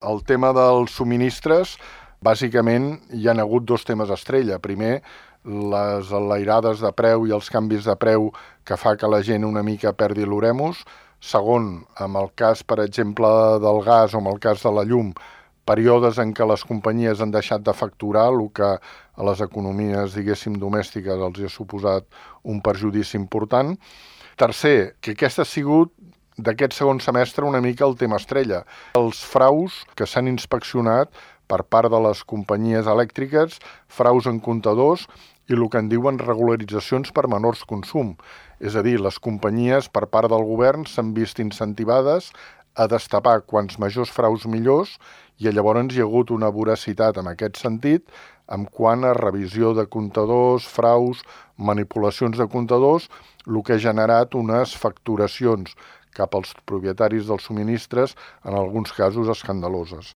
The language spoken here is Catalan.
El tema dels subministres, bàsicament hi ha hagut dos temes estrella. Primer, les enlairades de preu i els canvis de preu que fa que la gent una mica perdi l'oremus. Segon, amb el cas, per exemple, del gas o amb el cas de la llum, períodes en què les companyies han deixat de facturar, el que a les economies, diguéssim, domèstiques els ha suposat un perjudici important. Tercer, que aquest ha sigut d'aquest segon semestre una mica el tema estrella. Els fraus que s'han inspeccionat per part de les companyies elèctriques, fraus en comptadors i el que en diuen regularitzacions per menors consum. És a dir, les companyies per part del govern s'han vist incentivades a destapar quants majors fraus millors i llavors hi ha hagut una voracitat en aquest sentit en quant a revisió de comptadors, fraus, manipulacions de comptadors, el que ha generat unes facturacions cap als propietaris dels subministres, en alguns casos escandaloses.